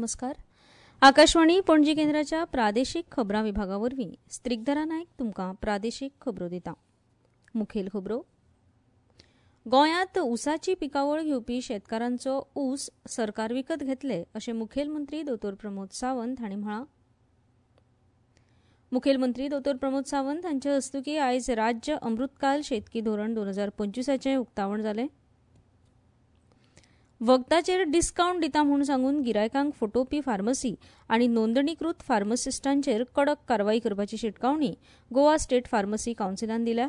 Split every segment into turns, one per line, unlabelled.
नमस्कार. आकाशवाणी पणजी केंद्राच्या प्रादेशीक खबरां विभागा वरवीं स्त्रिगधरा नायक तुमकां प्रादेशीक खबरो दिता. मुखेल खबरो. गोंयांत ऊसाची पिकावळ घेवपी शेतकारांचो ऊस सरकार विकत घेतले अशें मुखेलमंत्री दोतोर प्रमोद सावंत हांणी म्हळां. मुखेलमंत्री दोतोर प्रमोद सावंत हांचे हस्तुकीं आयज राज्य अमृतकाल शेतकी धोरण 2025 उक्तावण जालें. वखदाचेर डिस्कावंट दिता म्हूण सांगून गिरायकांक फटोवपी फार्मसी आनी नोंदणीकृत फार्मसिस्टांचेर कडक कारवाय करपाची शिटकावणी गोवा स्टेट फार्मसी कावन्सिलान दिल्या.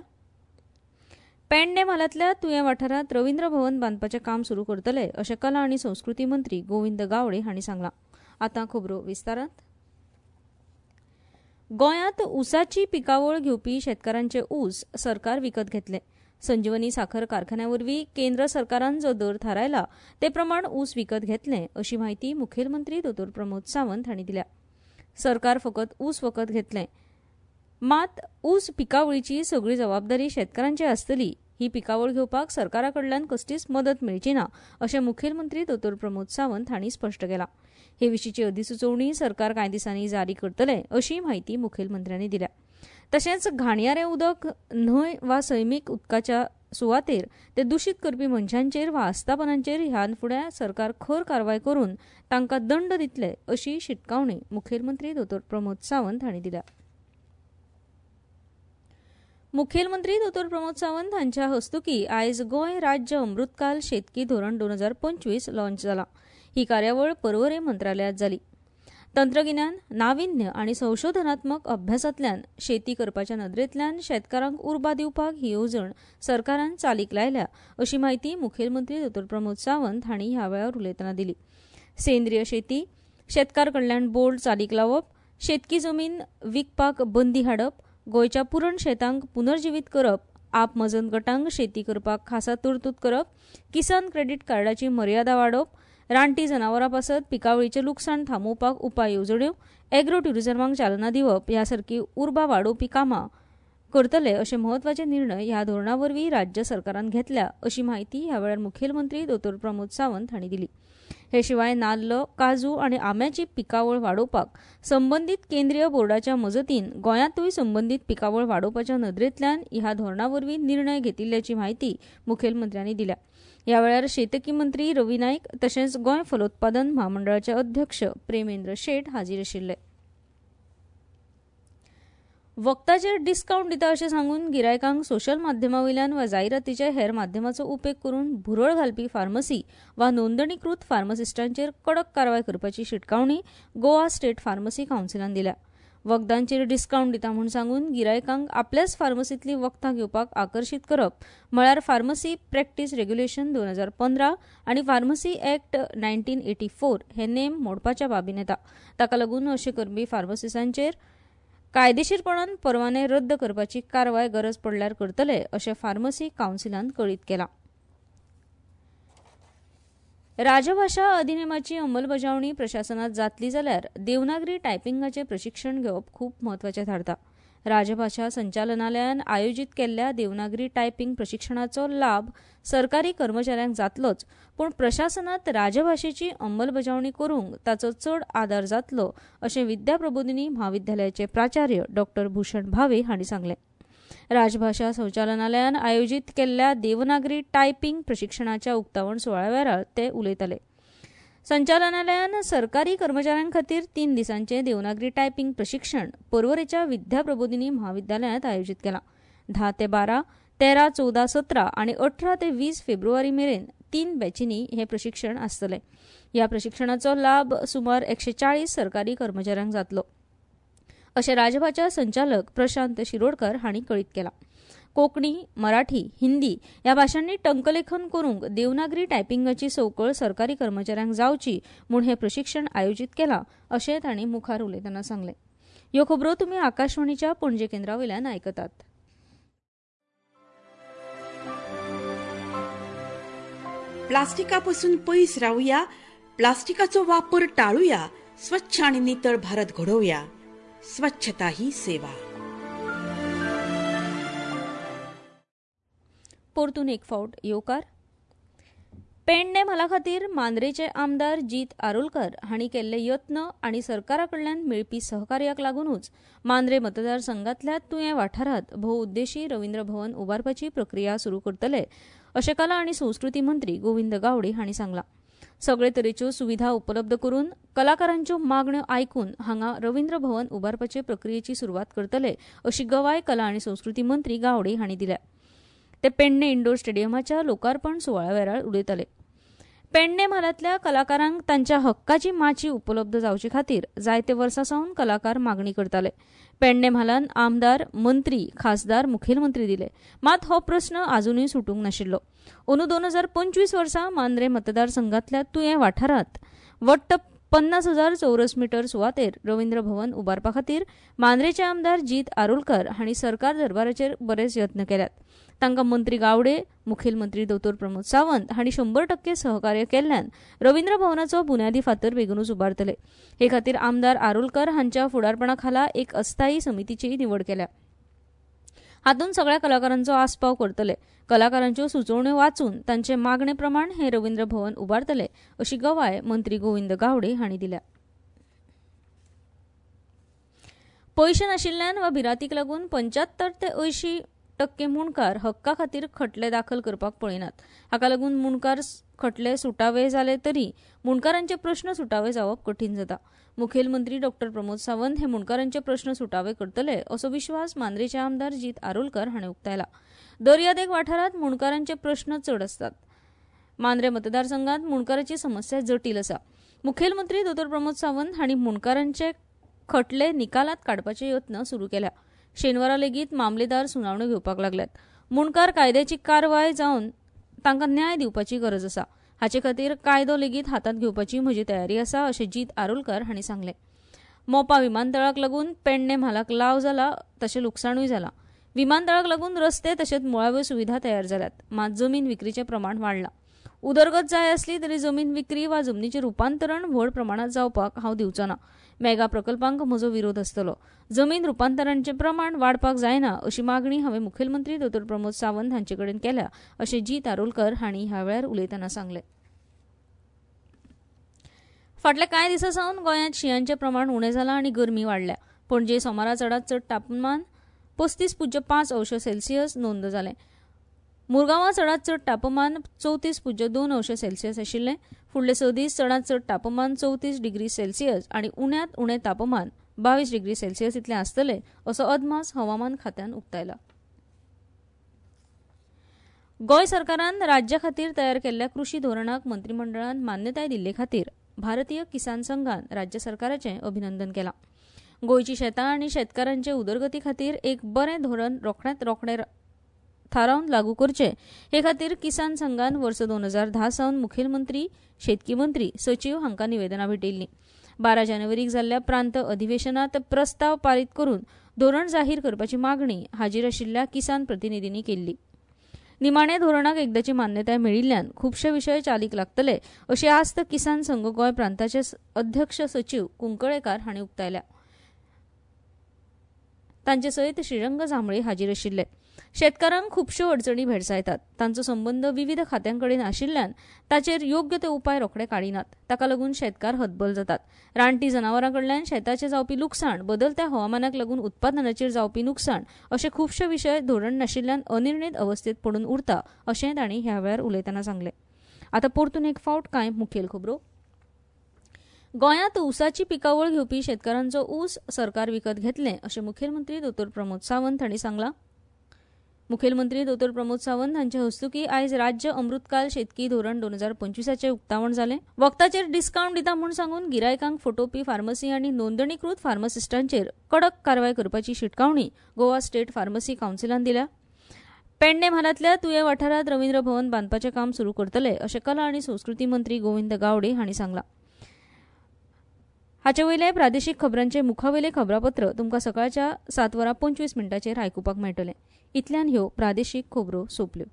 पेडणे म्हालांतल्या तुयें वाठारांत रवींद्र भवन बांदपाचें काम सुरू करतले अशें कला आनी संस्कृती मंत्री गोविंद गावडे हांणी सांगलां. आतां खबरो विस्तारांत. गोंयांत ऊसाची पिकावळ घेवपी शेतकारांचे ऊस सरकार विकत घेतले. संजीवनी साखर कारखान्या वरवीं केंद्र सरकारान जो दर थारायला ते प्रमाण ऊस विकत घेतले अशी म्हायती मुखेलमंत्री दोतोर प्रमोद सावंत हांणी दिल्या. सरकार फकत ऊस विकत घेतले, मात ऊस पिकावळीची सगळी जबाबदारी शेतकारांची आसतली. ही पिकावळ घेवपाक सरकारा कडल्यान कसलीच मदत मेळची ना अशें मुखेलमंत्री दोतोर प्रमोद सावंत हांणी स्पश्ट केलां. हे विशींची अधिसुचोवणी सरकार कांय दिसांनी जारी करतले अशी म्हायती मुखेलमंत्र्यांनी दिल्या. तशेंच घाणयारें उदक न्हंय वा सैमीक उदकाच्या सुवातेर ते दुशीत करपी मनशांचेर वा आस्थापनांचेर ह्यान फुडें सरकार खर कारवाय करून तांकां दंड दितले अशी शिटकावणी मुखेलमंत्री दोतोर प्रमोद सावंत हांणी दिल्या. मुखेलमंत्री दोतोर प्रमोद सावंत हांच्या हस्तुकीं आयज गोंय राज्य अमृतकाल शेतकी धोरण 2025 लॉन्च जाला. ही कार्यावळ पर्वरे मंत्रालयांत जाली. तंत्रगिन्यान, नाविन्य आनी संशोधनात्मक अभ्यासांतल्यान शेती करपाच्या नदरेंतल्यान शेतकारांक उर्बा दिवपाक ही येवजण सरकारान चालीक लायल्या अशी म्हायती मुखेलमंत्री दोतोर प्रमोद सावंत हांणी ह्या वेळार उलयतना दिली. सेंद्रीय शेती, शेतकार कल्याण बोर्ड चालीक लावप, शेतकी जमीन विकपाक बंदी हाडप, गोंयच्या पुरण शेतांक पुनर्जिवीत करप, आप मजत गटांक शेती करपाक खासा तरतूद करप, किसान क्रेडीट कार्डाची मर्यादा वाडोवप, रानटी जनावरां पासत पिकावळीचें लुकसाण थांबोवपाक उपाय येवजण्यो, एग्रो ट्युरिझमाक चालना दिवप ह्या सारकी उर्बा वाडोवपी कामां करतले अशे म्हत्वाचे निर्णय ह्या धोरणा वरवीं राज्य सरकारान घेतल्या अशी म्हायती ह्या वेळार मुखेलमंत्री दोतोर प्रमोद सावंत हांणी दिली. हे शिवाय नाल्ल, काजू आनी आंब्याची पिकावळ वाडोवपाक संबंदीत केंद्रीय बोर्डाच्या मजतीन गोंयांतूय संबंदीत पिकावळ वाडोवपाच्या नदरेंतल्यान ह्या धोरणा वरवीं निर्णय घेतिल्ल्याची म्हायती मुखेलमंत्र्यांनी दिल्या. ह्या वेळार शेतकी मंत्री रवी नायक तशेंच गोंय फलोत्पादन म्हामंडळाचे अध्यक्ष प्रेमेंद्र शेट हाजीर आशिल्ले. वखदाचेर डिस्कावंट दिता अशें सांगून गिरायकांक सोशल माध्यमां वयल्यान वा जायरातीच्या हेर माध्यमाचो उपेग करून भुरळ घालपी फार्मसी वा नोंदणीकृत फार्मसिस्टांचेर कडक कारवाय करपाची शिटकावणी गोवा स्टेट फार्मसी कावन्सिलान दिल्या. वखदांचेर डिस्कावंट दिता म्हूण सांगून गिरायकांक आपल्याच फार्मसींतलीं वखदां घेवपाक आकर्शीत करप म्हळ्यार फार्मसी प्रॅक्टीस रेग्युलेशन 2015 आनी फार्मसी ऍक्ट 1984 हे नेम मोडपाच्या बाबीन येता. ताका लागून अशें करपी फार्मसिस्टांचेर कायदेशीरपणान परवाने रद्द करपाची कारवाय गरज पडल्यार करतले अशें फार्मसी कावन्सिलान कळीत केलां. राजभाशा अधिनेमाची अंमलबजावणी प्रशासनात जातली जाल्यार देवनागरी टायपिंगाचें प्रशिक्षण घेवप खूब म्हत्वाचें थारता. राजभाशा संचालनालयान आयोजीत केल्ल्या देवनागरी टायपिंग प्रशिक्षणाचो लाभ सरकारी कर्मचाऱ्यांक जातलोच, पूण प्रशासनात राजभाशेची अंमलबजावणी करूंक ताचो चड आदार जातलो अशें विद्या प्रबोधिनी म्हाविद्यालयाचे प्राचार्य डॉ भूषण भावे हांणी सांगलें. राजभाशा संचालनालयान आयोजीत केल्ल्या देवनागरी टायपिंग प्रशिक्षणाच्या उक्तावण सुवाळ्या वेळार ते उलयताले. संचालनालयान सरकारी कर्मचाऱ्यां खातीर 3 दिसांचें देवनागरी टायपिंग प्रशिक्षण पर्वरेच्या विद्या प्रबोधिनी म्हाविद्यालयांत आयोजीत केलां. 10 ते 12, 13, 14, 17 आनी 18 ते 20 फेब्रुवारी मेरेन 3 बॅचींनी हें प्रशिक्षण आसतलें. ह्या प्रशिक्षणाचो लाभ सुमार 140 सरकारी कर्मचाऱ्यांक जातलो अशें राजभाशा संचालक प्रशांत शिरोडकर हांणी कळीत केलां. कोंकणी, मराठी, हिंदी ह्या भाशांनी टंकलेखन करूंक देवनागरी टायपिंगाची संवकळ सरकारी कर्मचाऱ्यांक जावची म्हूण हें प्रशिक्षण आयोजीत केलां अशें तांणी मुखार उलयतना सांगलें. ह्यो खबरो तुमी आकाशवाणीच्या पणजे केंद्रा वयल्यान आयकतात.
प्लास्टिका पासून पयस रावया, प्लास्टिकाचो वापर टाळुया, स्वच्छ आनी नितळ भारत घडोवया. स्वच्छता ही सेवा.
परतून एक फावट येवकार. पेडणे म्हाला खातीर मांद्रेचे आमदार जीत आरोलकर हांणी केल्ले यत्न आनी सरकारा कडल्यान मेळपी सहकार्याक लागूनच मांद्रे मतदारसंघातल्या तुयें वाठारांत भोवउद्देशी रवींद्र भवन उबारपाची प्रक्रिया सुरू करतले अशें कला आनी संस्कृती मंत्री गोविंद गावडे हांणी सांगलां. सगळे तरेच्यो सुविधा उपलब्ध करून कलाकारांच्यो मागण्यो आयकून हांगा रवींद्र भवन उबारपाचे प्रक्रियेची सुरवात करतले अशी गवाय कला आनी संस्कृती मंत्री गावडे हांणी दिल्या. ते पेडणे इंडोर स्टेडियमाच्या लोकार्पण सुवाळ्या वेळार उलयताले. पेडणे म्हालांतल्या कलाकारांक तांच्या हक्काची माची उपलब्ध जावचे खातीर जायते वर्सां सावन कलाकार मागणी करताले. पेडणे म्हालान आमदार, मंत्री, खासदार, मुखेलमंत्री दिले, मात हो प्रस्न आजुनूय सुटूंक नाशिल्लो. अंदू 2025 वर्सा मांद्रे मतदारसंघातल्या तुयें वाठारांत वट्ट 50,000 चौरस मीटर सुवातेर रवींद्र भवन उबारपा खातीर मांद्रेचे आमदार जीत आरोलकर हांणी सरकार दरबाराचेर बरेच यत्न केल्यात. तांकां मंत्री गावडे, मुखेलमंत्री दोतोर प्रमोद सावंत हांणी 100% सहकार्य केल्ल्यान रवींद्र भवनाचो बुन्यादी फातर बेगीनूच उबारतले. हे खातीर आमदार आरोलकर हांच्या फुडारपणा खाला एक अस्थायी समितीचीय निवड केल्या. हातूंत सगळ्या कलाकारांचो आस्पाव करतले. कलाकारांच्यो सुचोवण्यो वाचून तांचे मागणे प्रमाण हे रवींद्र भवन उबारतले अशी गवाय मंत्री गोविंद गावडे हांणी दिल्या. पयशे नाशिल्ल्यान वा भिरांतीक लागून 75 ते 80% मुंडकार हक्का खातीर खटले दाखल करपाक पळयनात. हाका लागून मुंडकार खटले सुटावे जाले तरी मुंडकारांचे प्रस्न सुटावे जावप कठीण जाता. मुखेलमंत्री डॉक्टर प्रमोद सावंत हे मुंडकारांचे प्रस्न सुटावे करतले असो विश्वास मांद्रेचे आमदार जीत आरोलकर हांणी उक्तायला. दर्यादेग वाठारांत मुंडकारांचे प्रस्न चड आसतात. मांद्रे मतदारसंघात मुंडकाराची समस्या जटील आसा. मुखेलमंत्री दोतोर प्रमोद सावंत हांणी मुंडकारांचे खटले निकालात काडपाचे यत्न सुरू केल्या. शेनवारा लेगीत मामलेदार सुनावण्यो घेवपाक लागल्यात. मुंडकार कायद्याची कारवाय जावन तांकां न्याय दिवपाची गरज आसा. हाचे खातीर कायदो लेगीत हातांत घेवपाची म्हजी तयारी आसा अशें जीत आरोलकर हांणी सांगलें. मोपा विमानतळाक लागून पेडणे म्हालाक लाव जाला तशें लुकसाणूय जाला. विमानतळाक लागून रस्ते तशेंच मुळाव्यो सुविधा तयार जाल्यात, मात जमीन विक्रीचें प्रमाण वाडलां. उदरगत जाय आसली तरी जमीन विक्री वा जमनीचें रुपांतरण व्हड प्रमाणांत जावपाक हांव दिवचो ना. मेगा प्रकल्पांक म्हजो विरोध आसतलो. जमीन रुपांतरांचें प्रमाण वाडपाक जायना अशी मागणी हांवें मुखेलमंत्री दोतोर प्रमोद सावंत हांचे कडेन केल्या अशें जीत आरोलकर हांणी ह्या वेळार उलयतना सांगलें. फाटल्या कांय दिसां सावन गोंयांत शिंयांचें प्रमाण उणें जालां आनी गरमी वाडल्या. पणजे सोमारा चडांत चड तापमान 35.5 अंश सेल्सियस नोंद जालें. मुरगांवां चडांत चड तापमान 34.2 अंश सेल्सियस आशिल्लें. फुडले 6 दीस चडांत चड तापमान 34 डिग्री सेल्सियस आनी उण्यांत उणें तापमान 22 डिग्री सेल्सियस इतलें आसतलें असो अदमास हवामान खात्यान उक्तायला. गोंय सरकारान राज्या खातीर तयार केल्ल्या कृशी धोरणाक मंत्रिमंडळान मान्यताय दिल्ले खातीर भारतीय किसान संघान राज्य सरकाराचें अभिनंदन केलां. गोंयची शेतां आनी शेतकारांचे उदरगती खातीर एक बरें धोरण रोखड्यांत रोखडें थारावन लागू करचें हे खातीर किसान संघान वर्स 2010 सावन मुखेलमंत्री, शेतकी मंत्री, सचीव हांकां निवेदनां भेटयल्लीं. 12 जानेवारीक जाल्ल्या प्रांत अधिवेशनांत प्रस्ताव पारीत करून धोरण जाहीर करपाची मागणी हाजीर आशिल्ल्या किसान प्रतिनिधींनी केल्ली. निमाणे धोरणाक एकदाची मान्यताय मेळिल्ल्यान खुबशे विशय चालीक लागतले अशी आस्त किसान संघ गोंय प्रांताचे अध्यक्ष सचीव कुंकळेकार हांणी उक्तायल्या. तांचे सयत श्रीरंग जांभळे हाजीर आशिल्ले. शेतकारांक खुबश्यो अडचणी भेडसायतात. तांचो संबंद विविध खात्यांकडेन आशिल्ल्यान ताचेर योग्य ते उपाय रोखडे काडिनात. ताका लागून शेतकार हतबल जातात. रानटी जनावरां कडल्यान शेताचें जावपी लुकसाण, बदलत्या हवामानाक लागून उत्पादनाचेर जावपी लुकसाण अशे खुबशे विशय धोरण नाशिल्ल्यान अनिर्णीत अवस्थेत पडून उरता अशें तांणी ह्या वेळार उलयतना सांगलें. आतां परतून एक फावट कांय मुखेल खबरो. गोंयांत ऊसाची पिकावळ घेवपी शेतकारांचो ऊस सरकार विकत घेतलें अशें मुखेलमंत्री दोतोर प्रमोद सावंत हांणी सांगलां. मुखेलमंत्री दोतोर प्रमोद सावंत हांचे हस्तुकीं आयज राज्य अमृतकाल शेतकी धोरण 2025 उक्तावण जालें. वखदाचेर डिस्कावंट दिता म्हूण सांगून गिरायकांक फटोवपी फार्मसी आनी नोंदणीकृत फार्मासिस्टांचेर कडक कारवाय करपाची शिटकावणी गोवा स्टेट फार्मसी कावन्सिलान दिल्या. पेडणे म्हालांतल्या तुयें वाठारांत रवींद्र भवन बांदपाचें काम सुरू करतले अशें कला आनी संस्कृती मंत्री गोविंद गावडे हांणी सांगलां. हाचे वयले प्रादेशीक खबरांचे मुखावेले खबरापत्र तुमकां सकाळच्या 7:25 आयकुपाक मेळटलें. इतल्यान ह्यो प्रादेशीक खबरो सोंपल्यो.